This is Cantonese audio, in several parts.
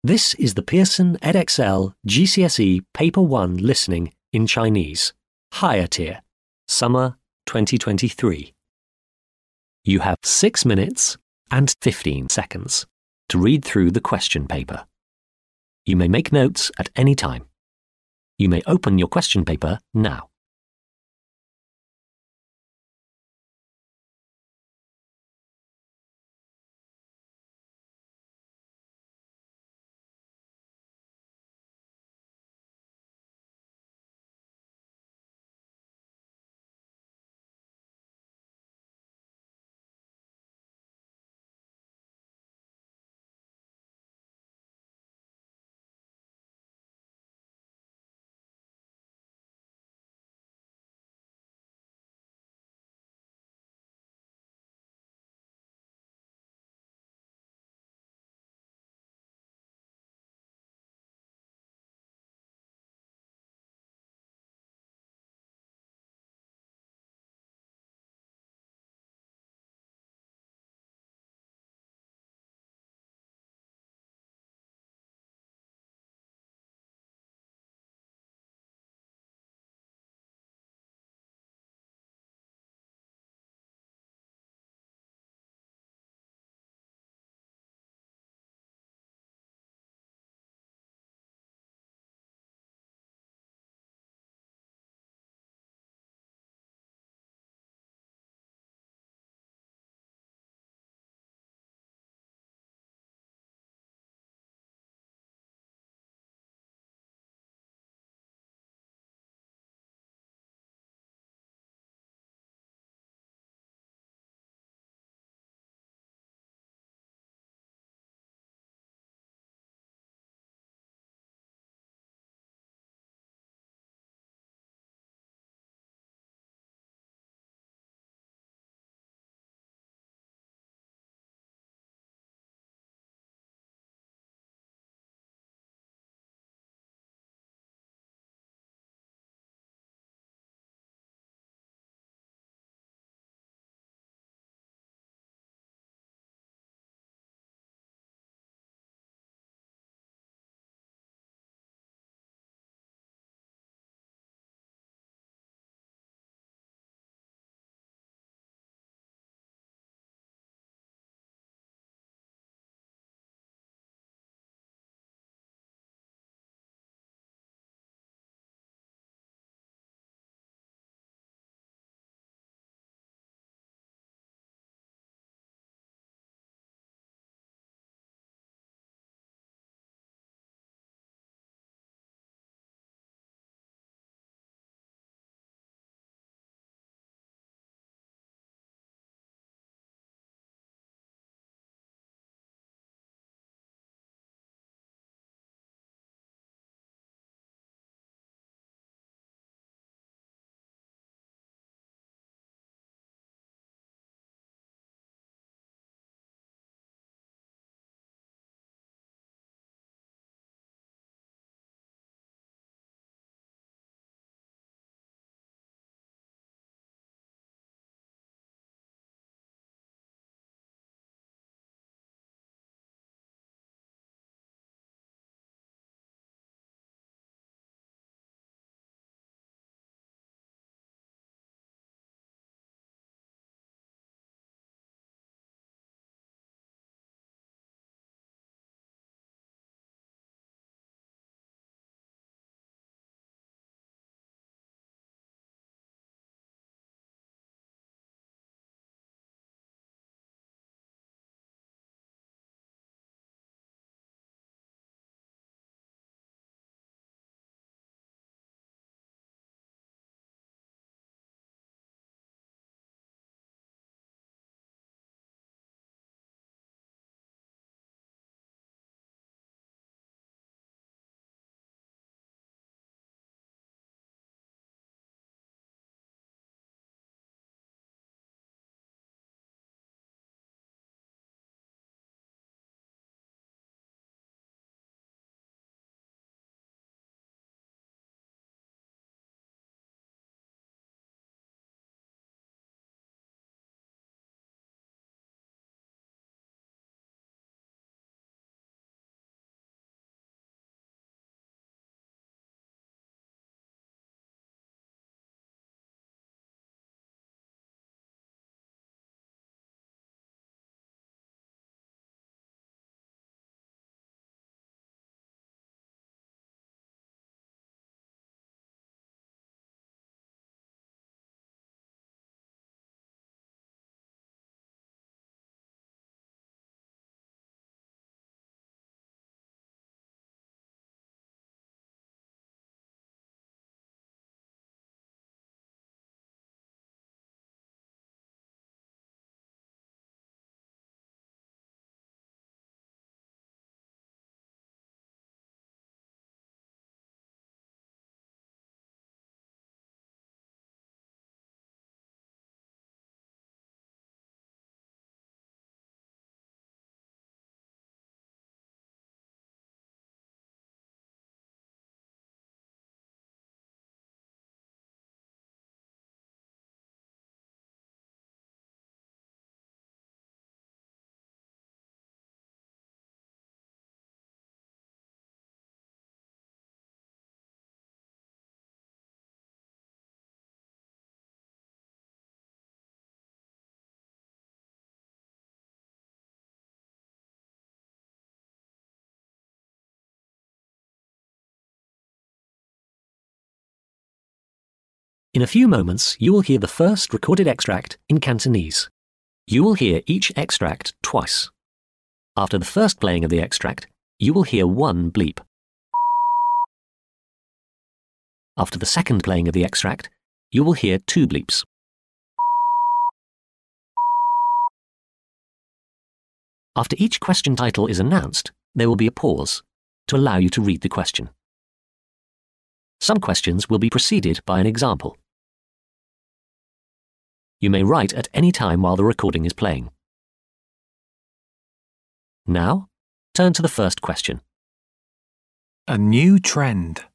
This is the Pearson Edexcel GCSE Paper 1 Listening in Chinese, Higher Tier, Summer 2023. You have 6 minutes and 15 seconds to read through the question paper. You may make notes at any time. You may open your question paper now. In a few moments, you will hear the first recorded extract in Cantonese. You will hear each extract twice. After the first playing of the extract, you will hear one bleep. After the second playing of the extract, you will hear two bleeps. After each question title is announced, there will be a pause to allow you to read the question. Some questions will be preceded by an example. You may write at any time while the recording is playing. Now, turn to the first question. A new trend.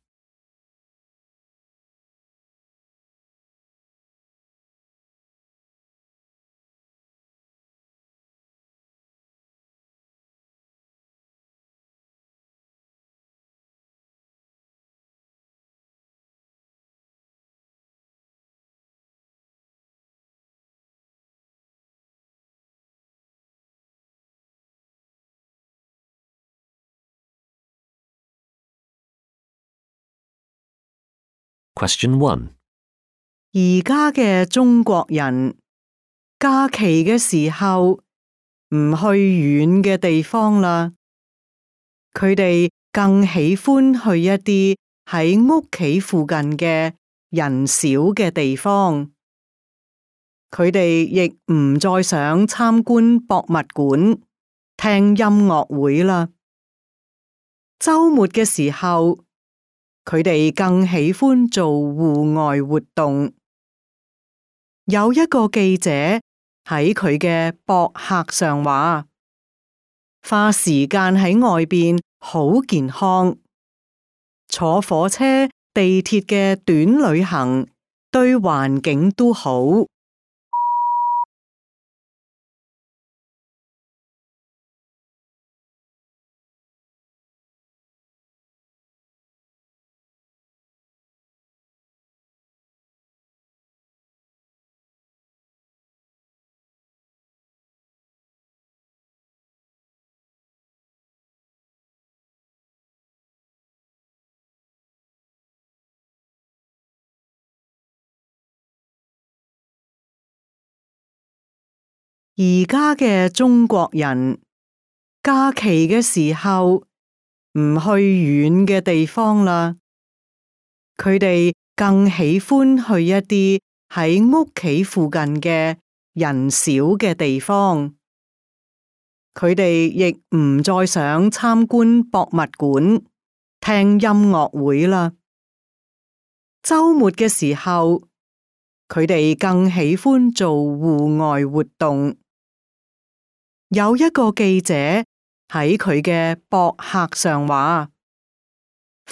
Question 1. 而家嘅中國人假期嘅時候唔去遠嘅地方啦，佢哋更喜歡去一啲喺屋企附近嘅人少嘅地方。佢哋亦唔再想參觀博物館、聽音樂會啦。週末嘅時候，佢哋更喜歡做戶外活動。有一個記者喺佢嘅博客上話，花時間喺外邊好健康，坐火車、地鐵嘅短旅行對環境都好。而家嘅中國人假期嘅時候唔去遠嘅地方啦，佢哋更喜歡去一啲喺屋企附近嘅人少嘅地方。佢哋亦唔再想參觀博物館、聽音樂會啦。週末嘅時候，佢哋更喜歡做戶外活動。有一個記者喺佢嘅博客上話，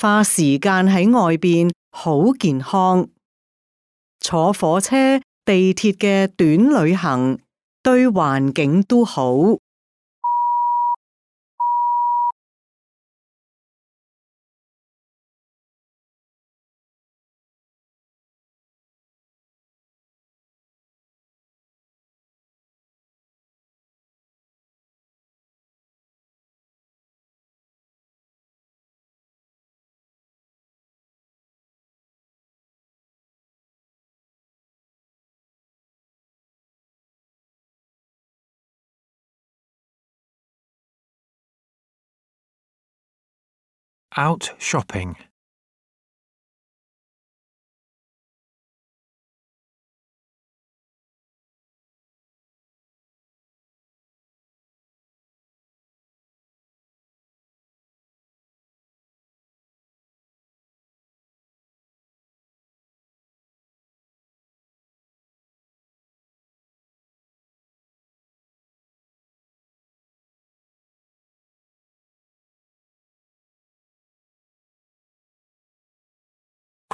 花時間喺外邊好健康，坐火車、地鐵嘅短旅行對環境都好。Out shopping.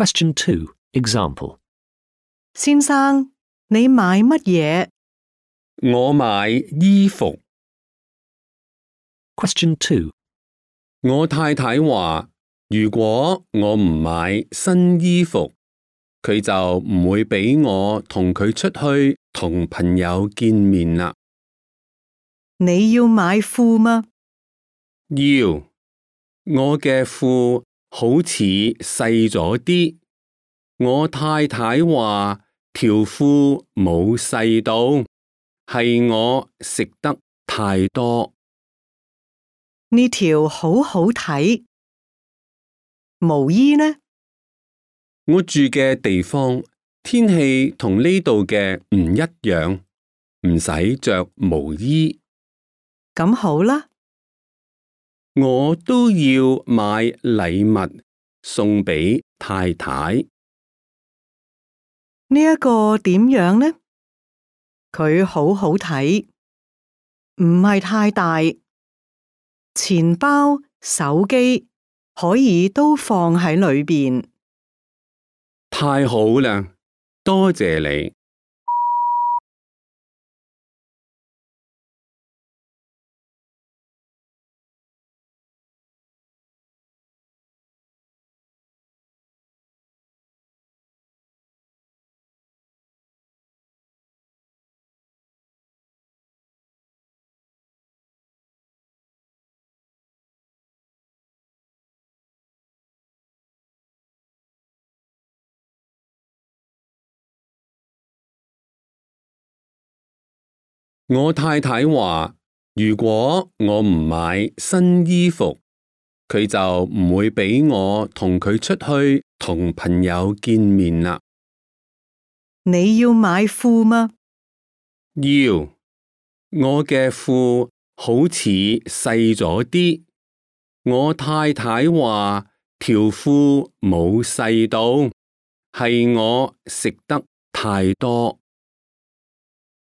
Question 2. Example. 先生，你買乜嘢？我買衣服。Question 2. 我太太話，如果我唔買新衣服，佢就唔會俾我同佢出去同朋友見面啦。你要買褲嗎？要，我嘅褲好似細咗啲，我太太話條褲冇細到，係我食得太多。呢條好好睇。毛衣呢？我住嘅地方天氣同呢度嘅唔一樣，唔使着毛衣。咁好啦。我都要買禮物送俾太太。呢一個點樣呢？佢好好睇，唔係太大。錢包、手機可以都放喺裏邊。太好啦，多謝你。我太太話，如果我唔買新衣服，佢就唔會俾我同佢出去同朋友見面啦。你要買褲嗎？要，我嘅褲好似細咗啲。我太太話條褲冇細到，係我食得太多。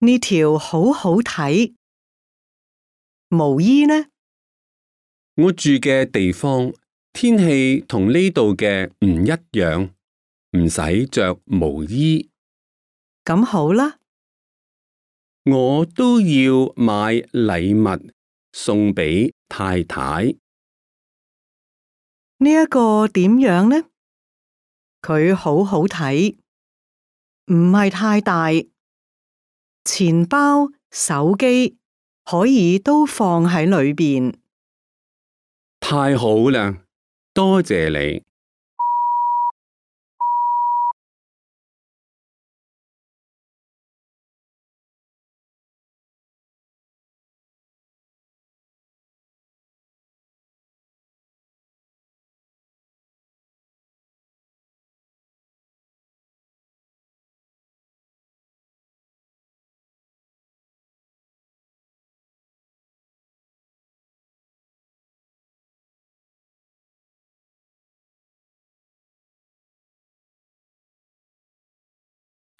呢條好好睇。毛衣呢？我住嘅地方天氣同呢度嘅唔一樣，唔使着毛衣。咁好啦。我都要買禮物送俾太太。呢一個點樣呢？佢好好睇，唔係太大。錢包、手機可以都放喺裏邊。太好啦，多謝你。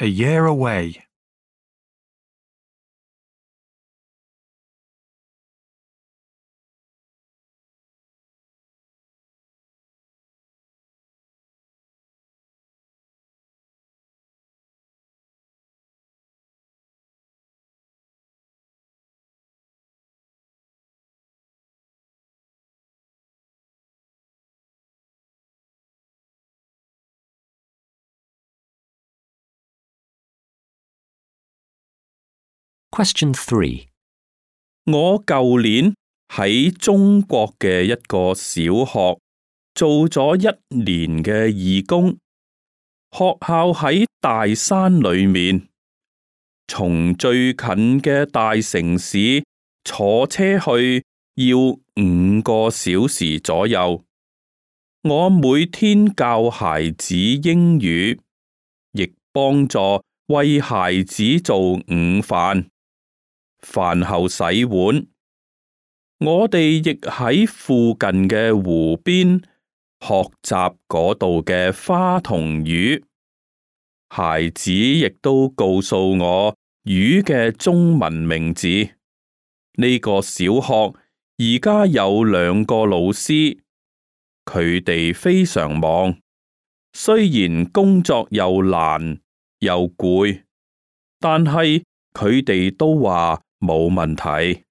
A year away. Question 3. 我舊年喺中國嘅一個小學做咗1年嘅義工，學校喺大山裏面，從最近嘅大城市坐車去要5個小時左右。我每天教孩子英語，亦幫助為孩子做午飯。飯後洗碗，我哋亦喺附近嘅湖邊學習嗰度嘅花同魚。孩子亦都告訴我魚嘅中文名字。呢個小學而家有2個老師，佢哋非常忙，雖然工作又難又攰，但係佢哋都話冇問題。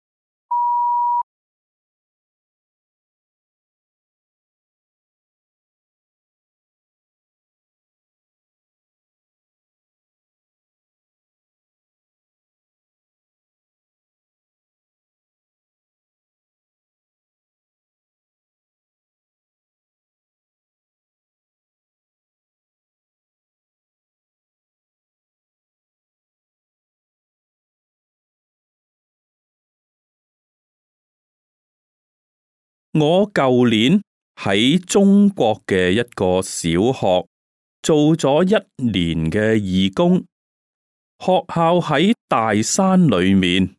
我舊年喺中國嘅一個小學做咗1年嘅義工，學校喺大山裏面，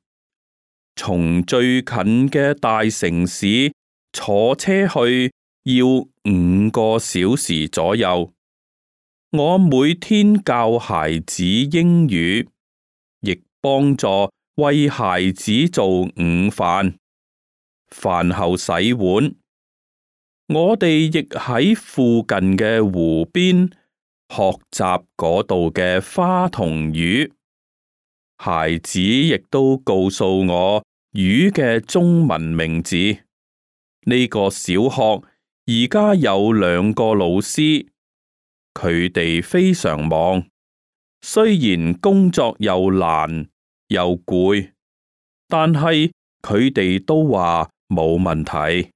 從最近嘅大城市坐車去要5個小時左右。我每天教孩子英語，亦幫助為孩子做午飯，飯後洗碗。我哋亦喺附近嘅湖邊學習嗰度嘅花同魚。孩子亦都告訴我魚嘅中文名字。呢個小學而家有2個老師，佢哋非常忙，雖然工作又難又攰，但係佢哋都話冇問題。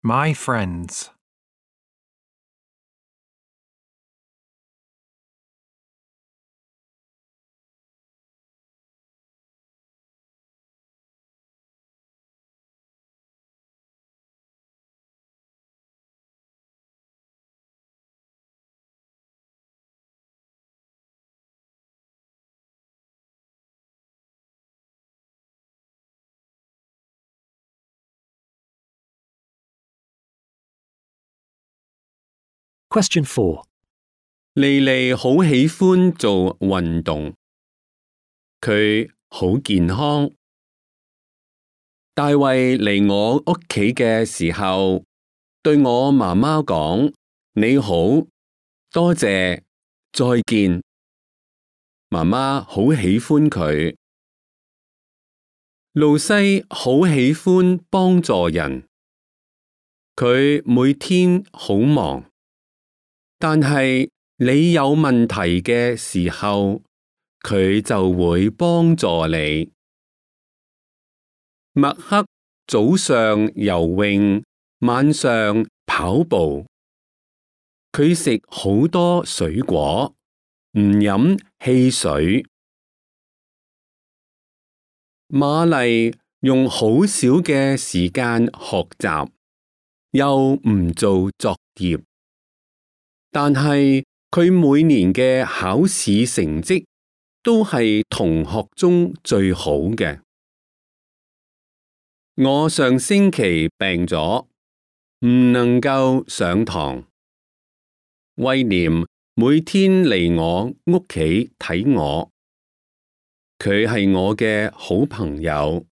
My friends. Question 4. 莉莉好喜歡做運動，佢好健康。大衛嚟我屋企嘅時候，對我媽媽講：你好，多謝，再見。媽媽好喜歡佢。露西好喜歡幫助人，佢每天好忙。但係你有問題嘅時候，佢就會幫助你。麥克早上游泳，晚上跑步。佢食好多水果，唔飲汽水。瑪麗用好少嘅時間學習，又唔做作業。但係佢每年嘅考試成績都係同學中最好嘅。我上星期病咗，唔能夠上堂。威廉每天嚟我屋企睇我，佢係我嘅好朋友。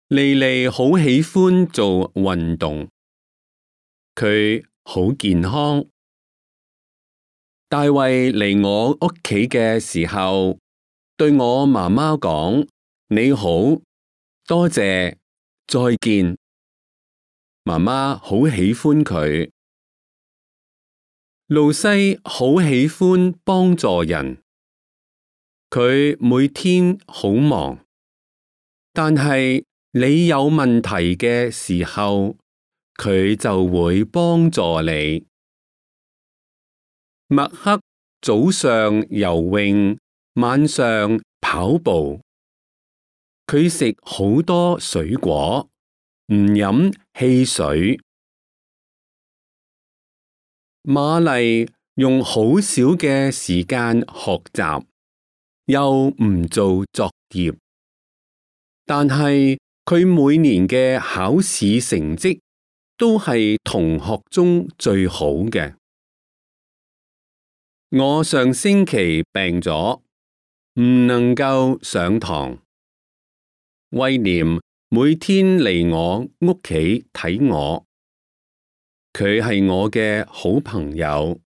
莉莉好喜歡做運動，佢好健康。大衛嚟我屋企嘅時候，對我媽媽講：你好，多謝，再見。媽媽好喜歡佢。露西好喜歡幫助人，佢每天好忙。但係你有問題嘅時候，佢就會幫助你。麥克早上游泳，晚上跑步。佢食好多水果，唔飲汽水。瑪麗用好少嘅時間學習，又唔做作業，但係佢每年嘅考試成績都係同學中最好嘅。我上星期病咗，唔能夠上堂。威廉每天嚟我屋企睇我，佢係我嘅好朋友。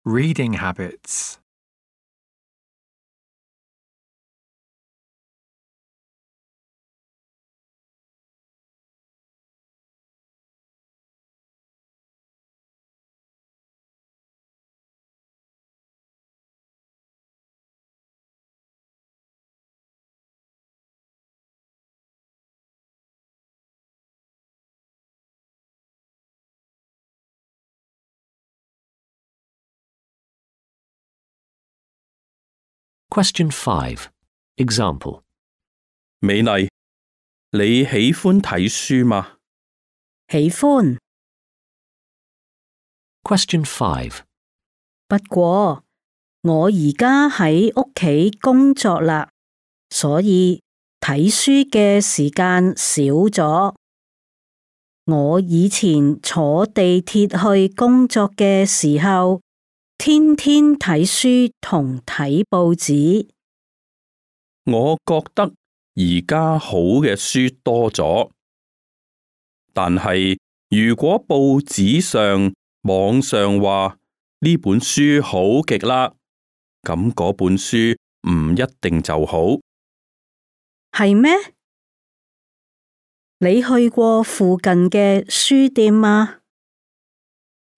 Reading habits. Question 5. Example. 美麗，你喜歡睇書嗎？喜歡， Question 5. 不過我而家喺屋企工作啦，所以睇書嘅時間少咗。我以前坐地鐵去工作嘅時候，天天睇書同睇報紙。我覺得而家好嘅書多咗，但係如果報紙上、網上話呢本書好極啦，咁嗰本書唔一定就好。係咩？你去過附近嘅書店嗎？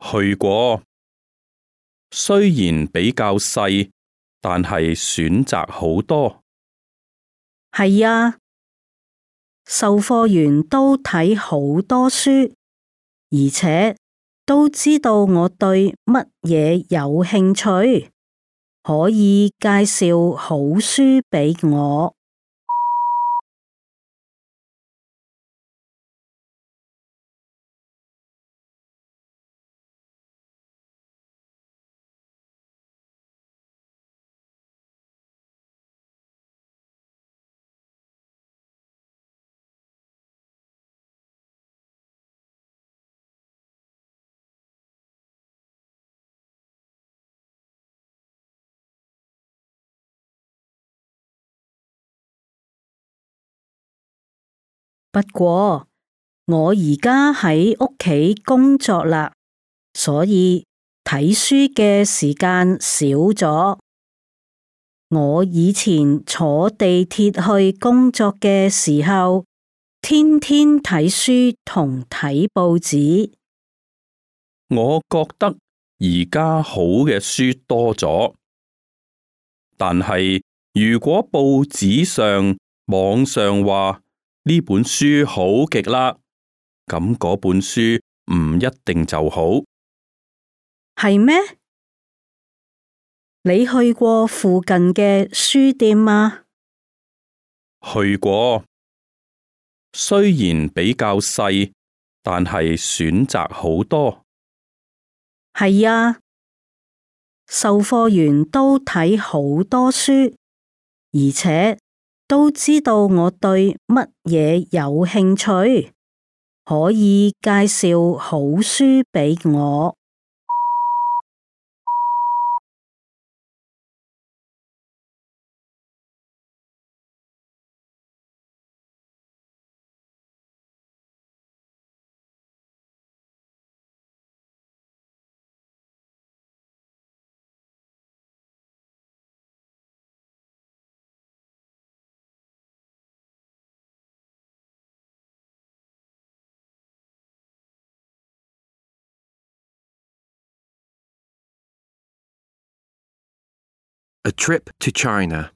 去過，雖然比較細，但係選擇好多。係啊，售貨員都睇好多書，而且都知道我對乜嘢有興趣，可以介紹好書俾我。不過我而家喺屋企工作啦，所以睇書嘅時間少咗。我以前坐地鐵去工作嘅時候，天天睇書同睇報紙。我覺得而家好嘅書多咗，但係如果報紙上、網上話呢本書好極啦，咁嗰本書唔一定就好。係咩？你去過附近嘅書店嗎？去過，雖然比較細，但係選擇好多。係啊，售貨員都睇好多書，而且都知道我對乜嘢有興趣，可以介紹好書俾我。A trip to China.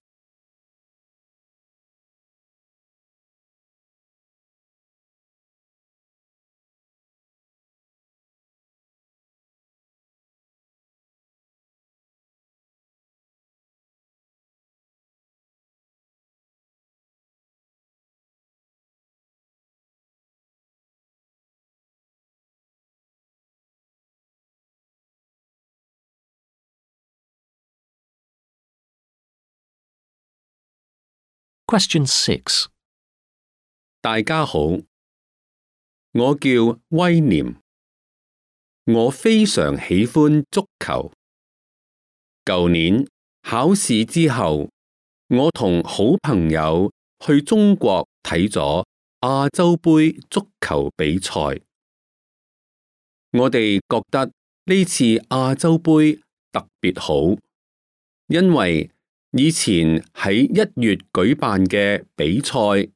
Question 6. 大家好，我叫威廉，我非常喜歡足球。舊年考試之後，我同好朋友去中國睇咗亞洲盃足球比賽。我哋覺得呢次亞洲盃特別好，因為以前喺1月舉辦嘅比賽，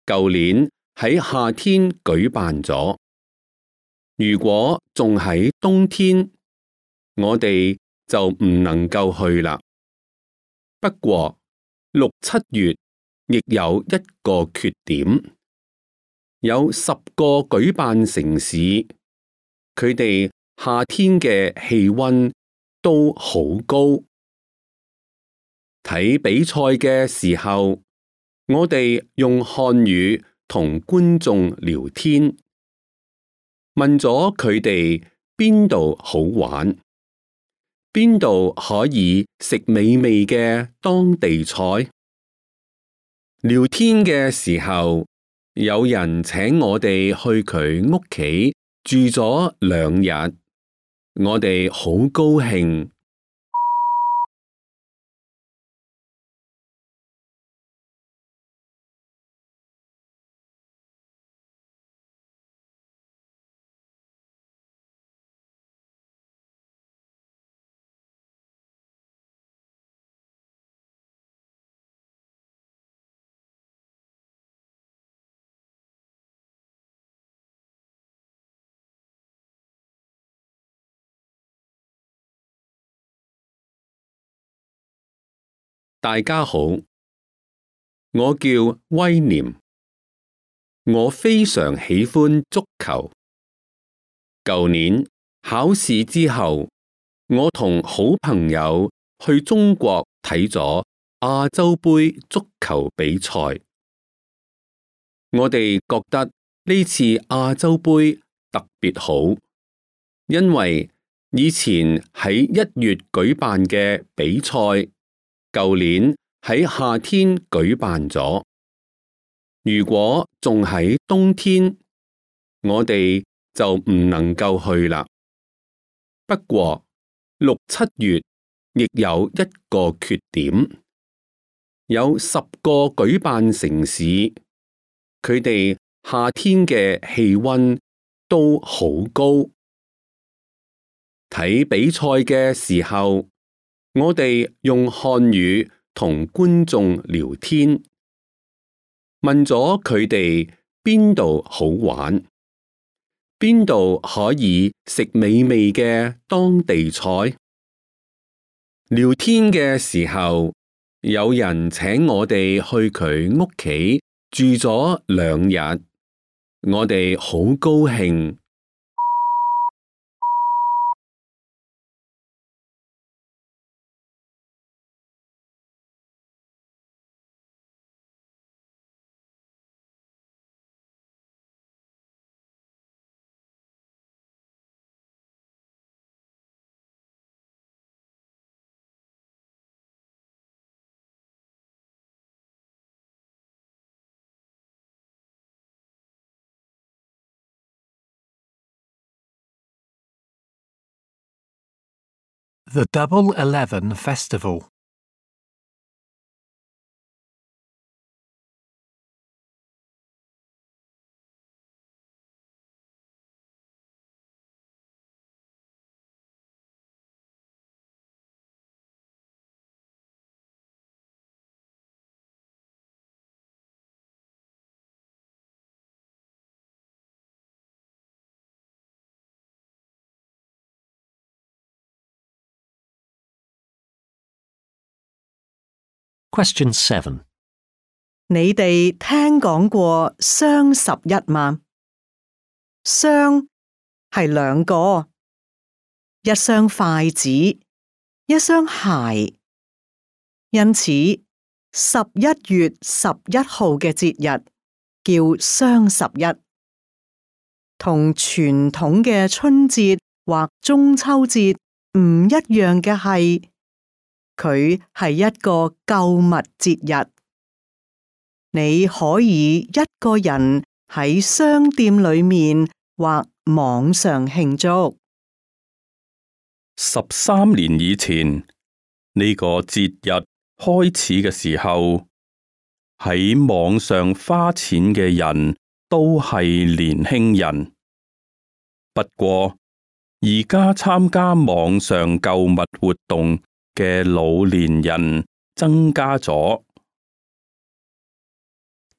舊年喺夏天舉辦咗。如果仲喺冬天，我哋就唔能夠去啦。不過6、7月亦有一個缺點，有10個舉辦城市，佢哋夏天嘅氣溫都好高。睇比賽嘅時候，我哋用漢語同觀眾聊天，問咗佢哋邊度好玩，邊度可以食美味嘅當地菜。聊天嘅時候，有人請我哋去佢屋企住咗2日，我哋好高興。大家好，我叫威廉，我非常喜歡足球。舊年考試之後，我同好朋友去中國睇咗亞洲盃足球比賽。我哋覺得呢次亞洲盃特別好，因為以前喺1月舉辦嘅比賽，舊年喺夏天舉辦咗。如果仲喺冬天，我哋就唔能夠去啦。不過6、7月亦有一個缺點，有10個舉辦城市，佢哋夏天嘅氣溫都好高。睇比賽嘅時候，我哋用漢語同觀眾聊天，問咗佢哋邊度好玩，邊度可以食美味嘅當地菜。聊天嘅時候，有人請我哋去佢屋企住咗2日，我哋好高興。The Double 11 Festival. Question 7. 你哋聽講過雙11嗎？雙係兩個，一雙筷子，一雙鞋。因此11月11號嘅節日叫雙11，同傳統嘅春節或中秋節唔一樣嘅係，佢係一個購物節日。你可以一個人喺商店裏面或網上慶祝。13年以前，呢個節日開始嘅時候，喺網上花錢嘅人都係年輕人。不過，而家參加網上購物活動嘅老年人增加咗。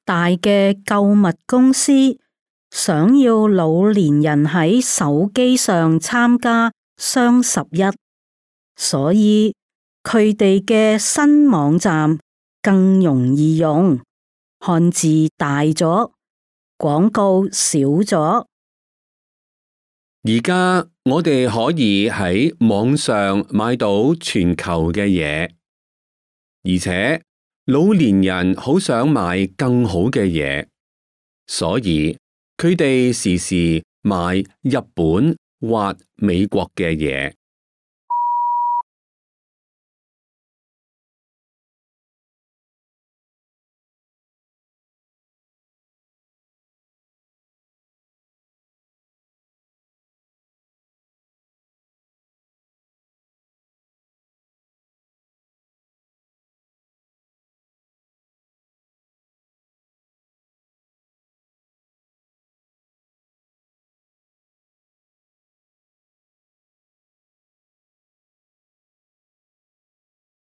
大嘅購物公司想要老年人喺手機上參加雙11，所以佢哋嘅新網站更容易用，漢字大咗，廣告少咗。而家我哋可以喺網上買到全球嘅嘢，而且老年人好想買更好嘅嘢，所以佢哋時時買日本或美國嘅嘢。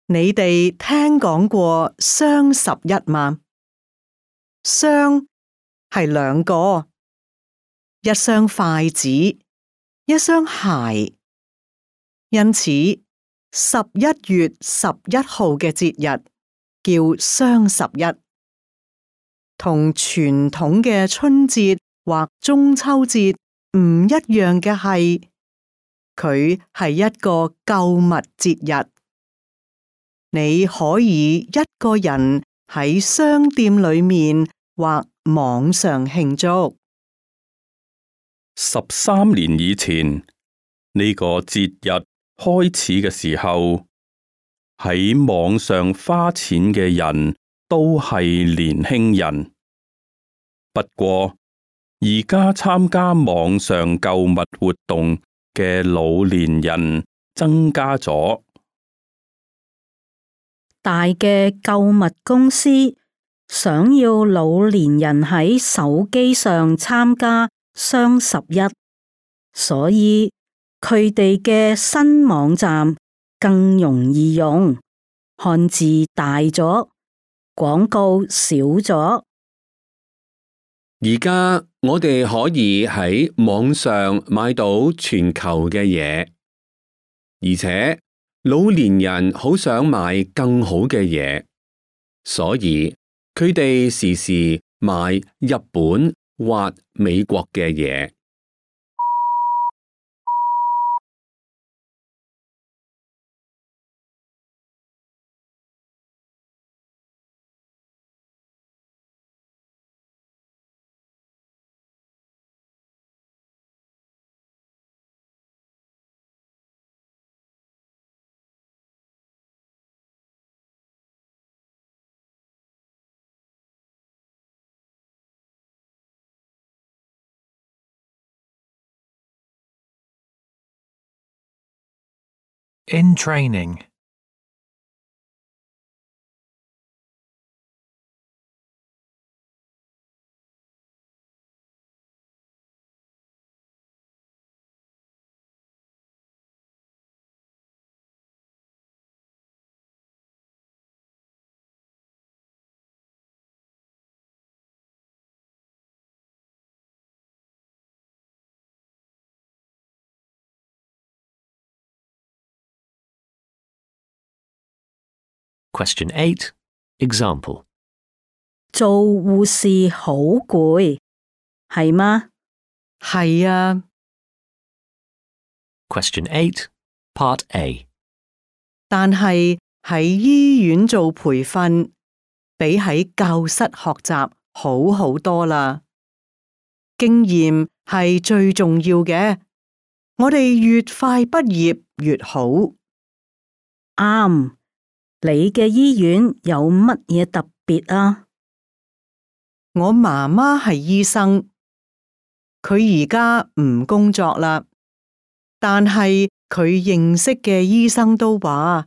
你哋聽講過雙11嗎？雙係兩個，一雙筷子，一雙鞋。因此11月11號嘅節日叫雙11，同傳統嘅春節或中秋節唔一樣嘅係，佢係一個購物節日。你可以一個人喺商店裏面或網上慶祝。13年以前，呢個節日開始嘅時候，喺網上花錢嘅人都係年輕人。不過，而家參加網上購物活動嘅老年人增加咗。大嘅購物公司想要老年人喺手機上參加雙11，所以佢哋嘅新網站更容易用，漢字大咗，廣告少咗。而家我哋可以喺網上買到全球嘅嘢，而且老年人好想買更好嘅嘢，所以佢哋時時買日本或美國嘅嘢。In training. Question 8. Example. 做護士好攰，係嗎？係啊， Question 8, Part A. 但係喺醫院做培訓，比喺教室學習好好多啦。經驗係最重要嘅，我哋越快畢業越好。啱，你嘅醫院有乜嘢特別啊？我媽媽係醫生，佢而家唔工作啦，但係佢認識嘅醫生都話，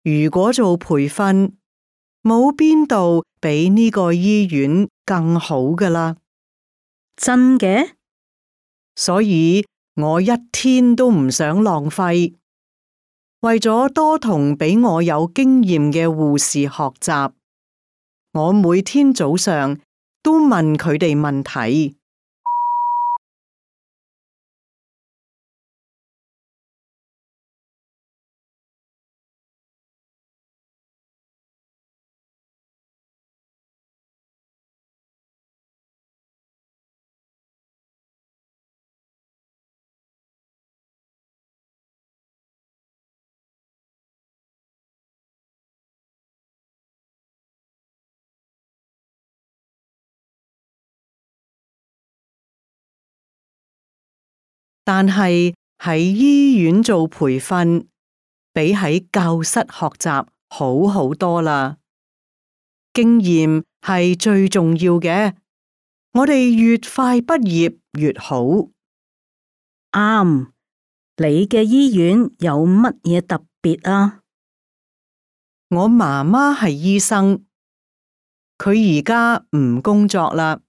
如果做培訓，冇邊度比呢個醫院更好㗎啦。真嘅？所以我一天都唔想浪費，為咗多同比我有經驗嘅護士學習，我每天早上都問佢哋問題。但係喺醫院做培訓，比喺教室學習好好多啦。經驗係最重要嘅，我哋越快畢業越好。啱，你嘅醫院有乜嘢特別啊？我媽媽係醫生，佢而家唔工作啦，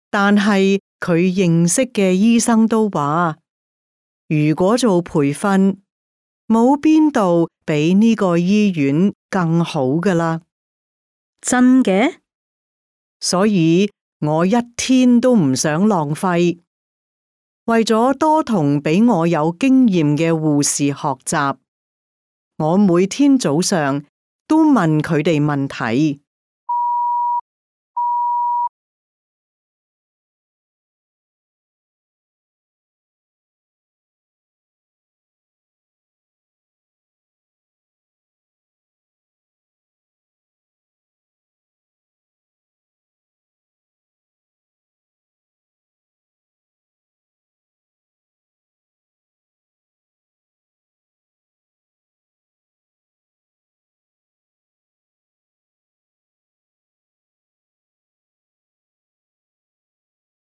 但係佢認識嘅醫生都話，如果做培訓，冇邊度比呢個醫院更好㗎啦。真嘅？所以我一天都唔想浪費，為咗多同比我有經驗嘅護士學習，我每天早上都問佢哋問題。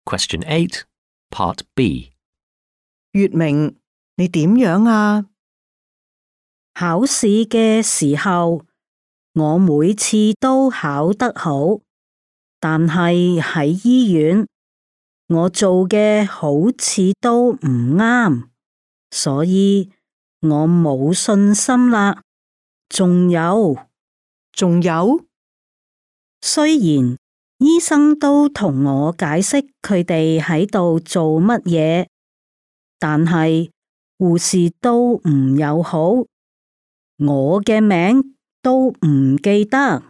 Question 8, Part B. 月明，你點樣啊？考試嘅時候，我每次都考得好，但係喺醫院，我做嘅好似都唔啱，所以我冇信心啦。仲有，雖然醫生都同我解釋佢哋喺度做乜嘢，但係護士都唔友好，我嘅名都唔記得，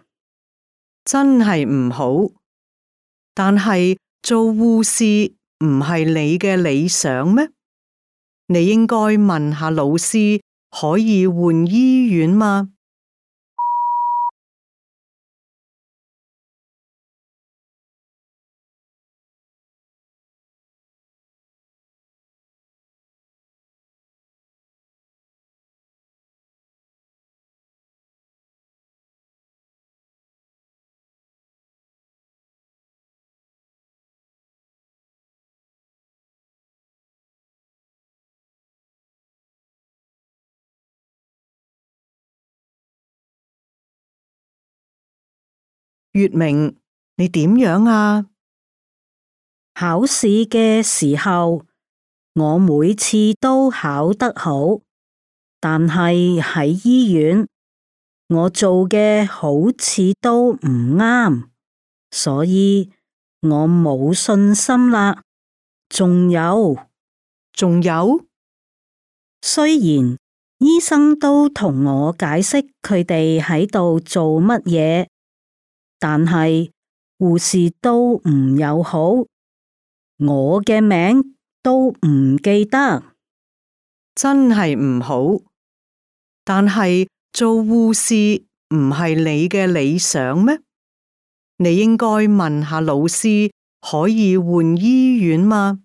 真係唔好。但係做護士唔係你嘅理想咩？你應該問下老師，可以換醫院嗎？月明，你點樣啊？考試嘅時候，我每次都考得好，但係喺醫院，我做嘅好似都唔啱，所以我冇信心啦。仲有，雖然醫生都同我解釋佢哋喺度做乜嘢，但係護士都唔友好，我嘅名都唔記得。真係唔好。但係做護士唔係你嘅理想咩？你應該問下老師，可以換醫院嗎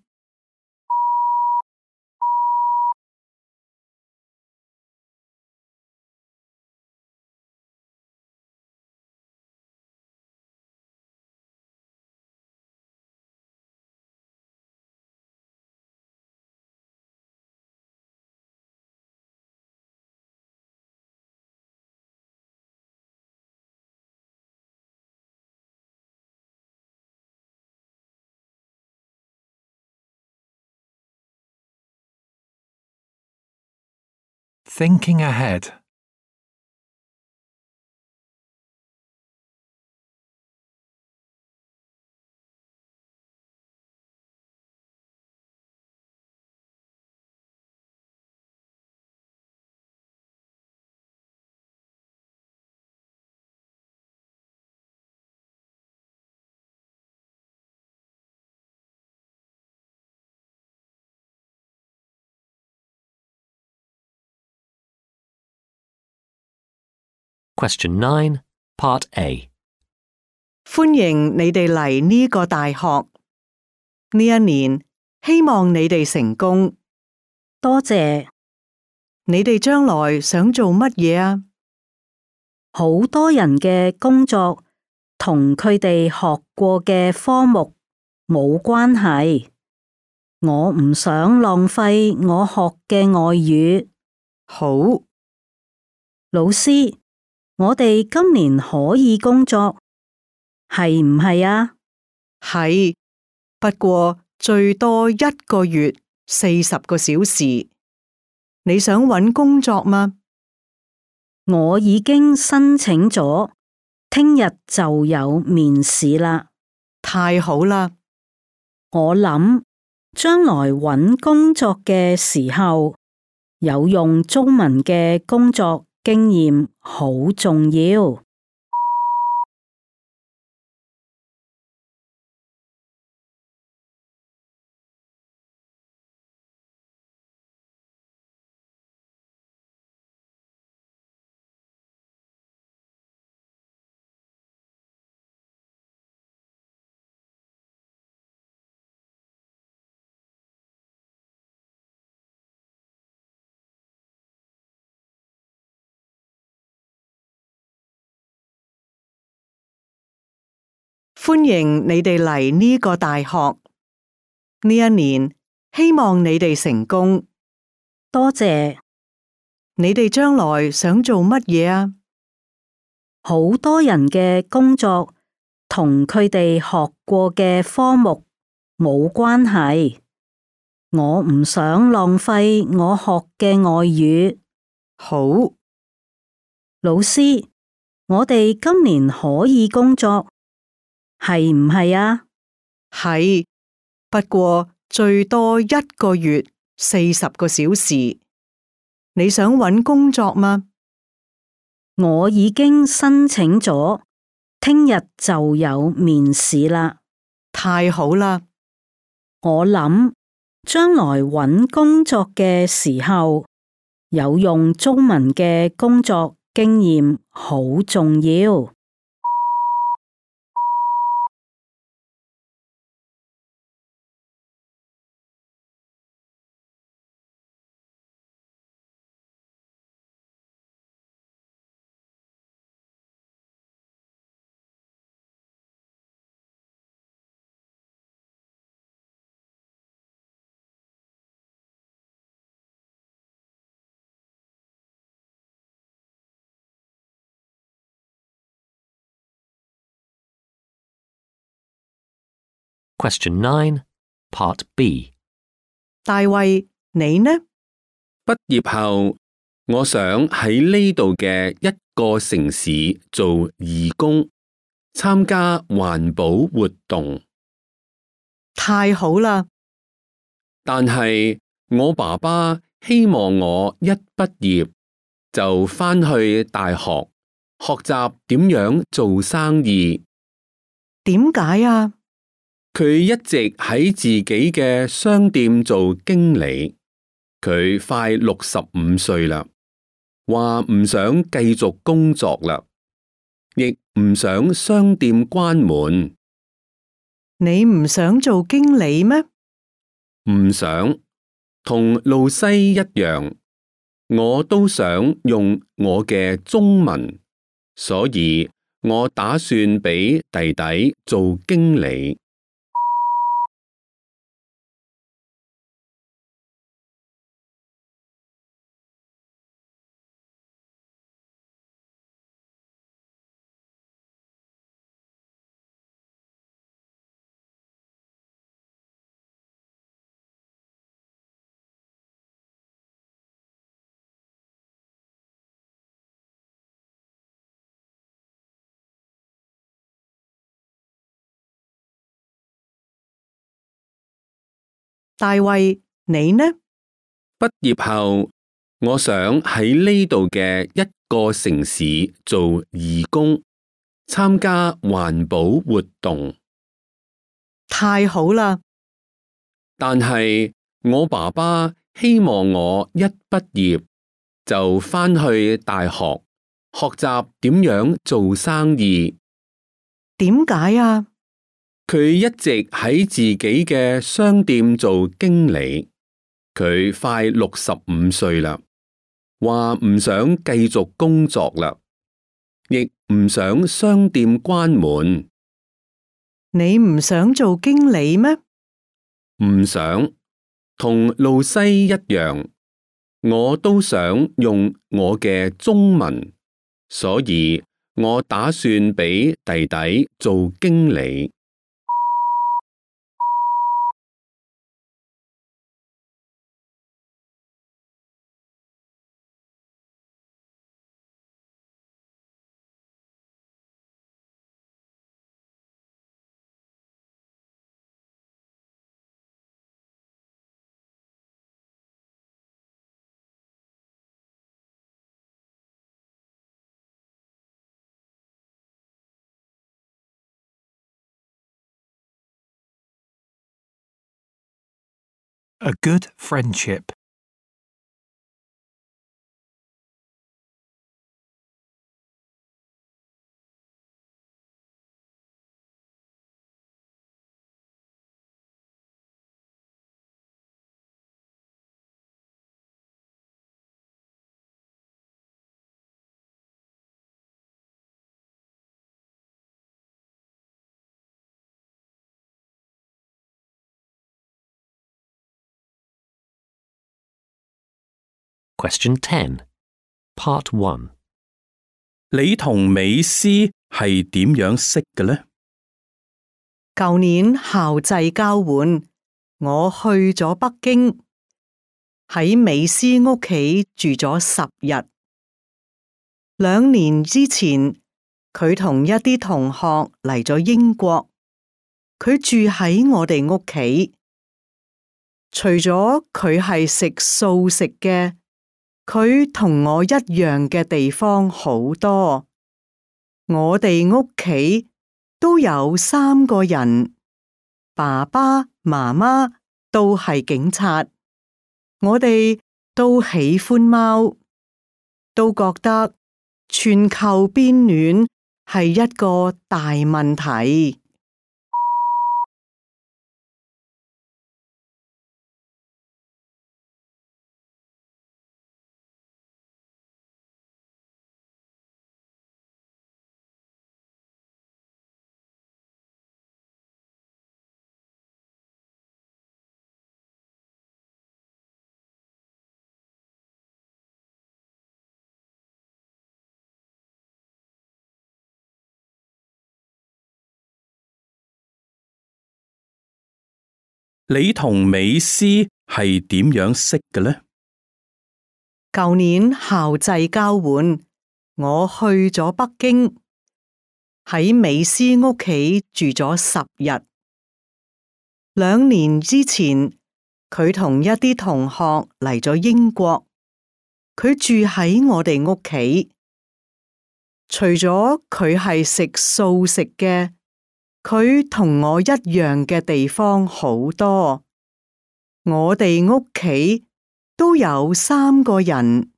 ？Thinking ahead. Question 9, Part A. 歡迎你哋嚟呢個大學。呢一年，希望你哋成功。多謝。你哋將來想做乜嘢啊？好多人嘅工作同佢哋學過嘅科目冇關係，我唔想浪費我學嘅外語。好，老師，我哋今年可以工作，係唔係啊？係，不過最多1個月40個小時。你想搵工作嗎？我已經申請咗，聽日就有面試啦。太好啦！我諗將來搵工作嘅時候，有用中文嘅工作經驗好重要。歡迎你哋嚟呢個大學。呢一年，希望你哋成功。多謝。你哋將來想做乜嘢啊？好多人嘅工作同佢哋學過嘅科目冇關係，我唔想浪費我學嘅外語。好，老師，我哋今年可以工作，係唔係啊？係，不過最多1個月40個小時。你想搵工作嗎？我已經申請咗，聽日就有面試啦。太好啦！我諗將來搵工作嘅時候，有用中文嘅工作經驗好重要。Question 9, Part B. 大衛，你呢？畢業後，我想喺呢度嘅一個城市做義工，參加環保活動。太好啦！但係我爸爸希望我一畢業就返去大學學習點樣做生意。點解啊？佢一直喺自己嘅商店做經理，佢快65歲啦，話唔想繼續工作啦，亦唔想商店關門。你唔想做經理咩？唔想，同露西一樣，我都想用我嘅中文，所以我打算俾弟弟做經理。大衛，你呢？畢業後，我想喺呢度嘅一個城市做義工，參加環保活動。太好啦！但係我爸爸希望我一畢業就返去大學學習點樣做生意。點解啊？佢一直喺自己嘅商店做經理，佢快65歲啦，話唔想繼續工作啦，亦唔想商店關門。你唔想做經理咩？唔想，同露西一樣，我都想用我嘅中文，所以我打算俾弟弟做經理。A good friendship. Question 10, Part 1. 你同美斯係點樣識嘅呢？舊年校際交換，我去咗北京，喺美斯屋企住咗10日。2年之前，佢同一啲同學嚟咗英國，佢住喺我哋屋企。除咗佢係食素食嘅，佢同我一樣嘅地方好多。我哋屋企都有3個人，爸爸、媽媽都係警察。我哋都喜歡貓，都覺得全球變暖係一個大問題。你同美斯係點樣識嘅呢？舊年校際交換，我去咗北京，喺美斯屋企住咗10日。2年之前，佢同一啲同學嚟咗英國，佢住喺我哋屋企。除咗佢係食素食嘅，佢同我一樣嘅地方好多。我哋屋企都有3個人，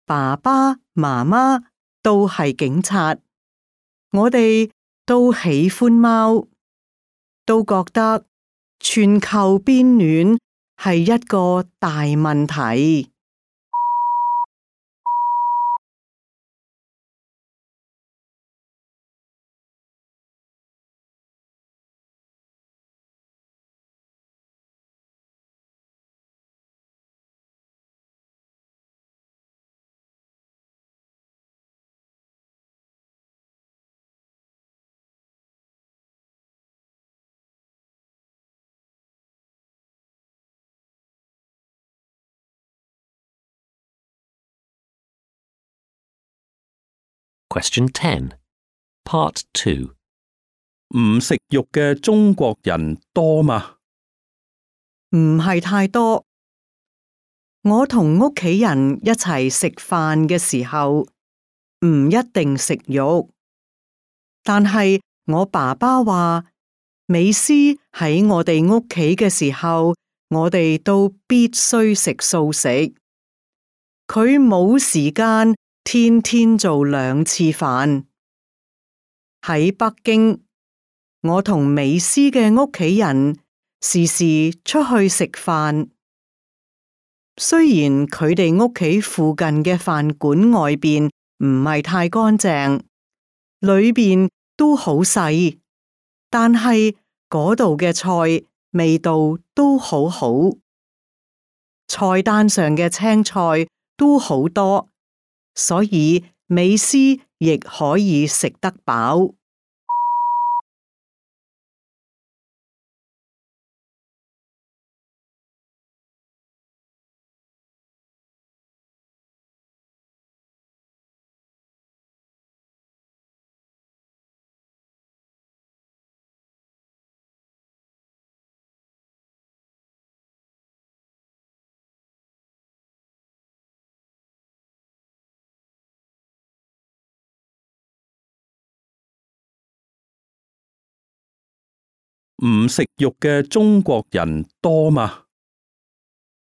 爸爸、媽媽都係警察。我哋都喜歡貓，都覺得全球變暖係一個大問題。Question 10, Part 2. 唔食肉嘅中國人多嗎？唔係太多。我同屋企人一齊食飯嘅時候，唔一定食肉。但係我爸爸話，美斯喺我哋屋企嘅時候，我哋都必須食素食。佢冇時間天天做2次飯。喺北京，我同美斯嘅屋企人時時出去食飯。雖然佢哋屋企附近嘅飯館外邊唔係太乾淨，裏邊都好細，但係嗰度嘅菜味道都好好，菜單上嘅青菜都好多，所以美斯亦可以食得飽。唔食肉嘅中國人多嗎？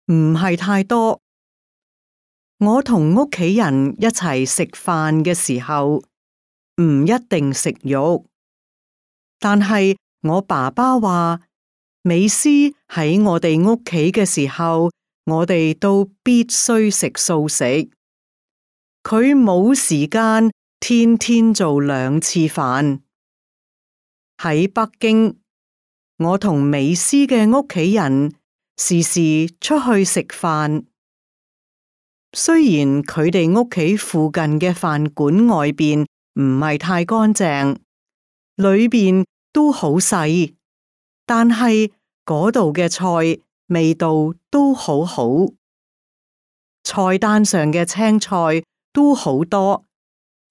唔係太多。我同屋企人一齊食飯嘅時候，唔一定食肉。但係我爸爸話，美斯喺我哋屋企嘅時候，我哋都必須食素食。佢冇時間天天做2次飯。喺北京，我同美斯嘅屋企人時時出去食飯。雖然佢哋屋企附近嘅飯館外邊唔係太乾淨，裏邊都好細，但係嗰度嘅菜味道都好好，菜單上嘅青菜都好多，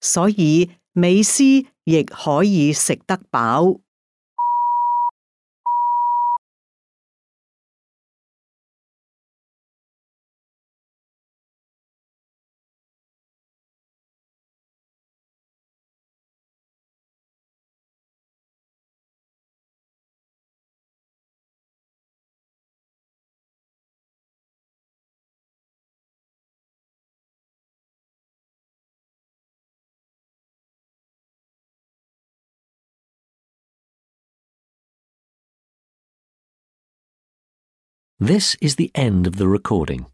所以美斯亦可以食得飽。This is the end of the recording.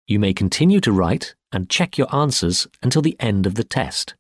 You may continue to write and check your answers until the end of the test.